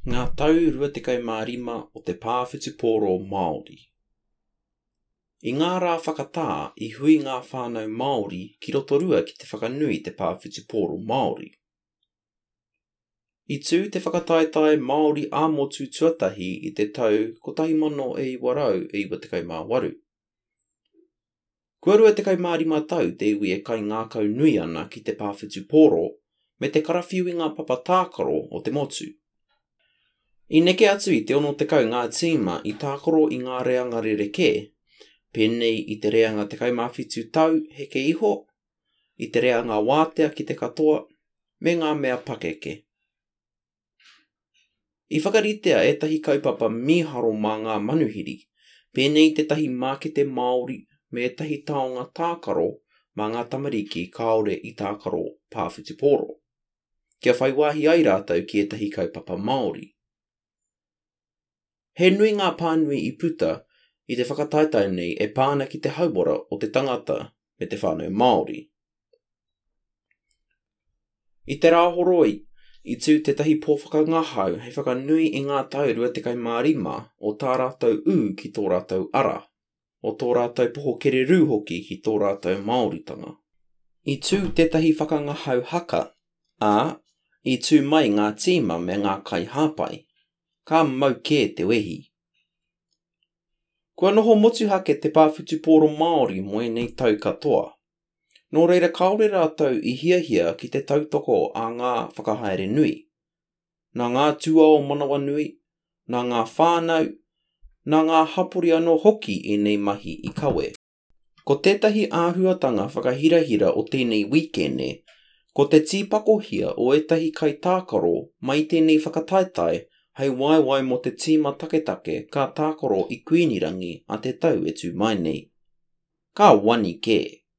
Ngā tau 25 o te pā whutupōro Māori. I ngā rā whakatā i hui ngā whānau Māori ki Rotorua ki te whakanui i te pā whutupōro Māori. I tū te whakataetae Māori ā-motu tuatahi i te tau 1998. Kua 25 tau te iwi e kaingākau nui ana ki te pā whutupōro me te karawhiu i ngā papa tākaro o te motu. I neke atu i te 60 ngā tīma i tākaro i ngā reanga rerekē, pēnei i te reanga 17 tau heke iho, i te reanga wātea ki te katoa, me ngā mea pakeke. I whakaritea ētahi kaupapa mīharo mā ngā manuhiri, pēnei i tētahi mākete Māori me ētahi taonga tākaro mā ngā tamariki kāore i tākaro pā whutupōro, kia whai wāhi ai rātou ki ētahi kaupapa Māori. He nui ngā pānui i puta i te whakataetae nei e pā ana ki te hauora o te tangata me te whānau Māori. I te Rāhoroi, i tū tētahi pō whakangahau hei whakanui i ngā tau 25 o tā rātou ū ki tō rātou ara, o tō rātou poho kererū hoki ki tō rātou Māoritanga. I tū tētahi whakangahau haka, ā, i tū mai ngā tīma me ngā kaihāpai. Ka mau kē te wehi. Kua noho motuhake te pā whutupōro Māori mō ēnei tau katoa. Nō reira kāore rātou i hiahia ki te tautoko a ngā whakahaere nui. Nā ngā tūao manawanui, nā ngā whānau, nā ngā hapori anō hoki ēnei mahi i kawe. Ko tētahi āhuatanga whakahirahira o tēnei wīkene, ko te tīpakohia o ētahi kaitākaro mai i tēnei whakataetae hei waewae mō te tīma taketake ka tākaro i Kuinirangi a te tau e tū mai nei. Ka wani kē!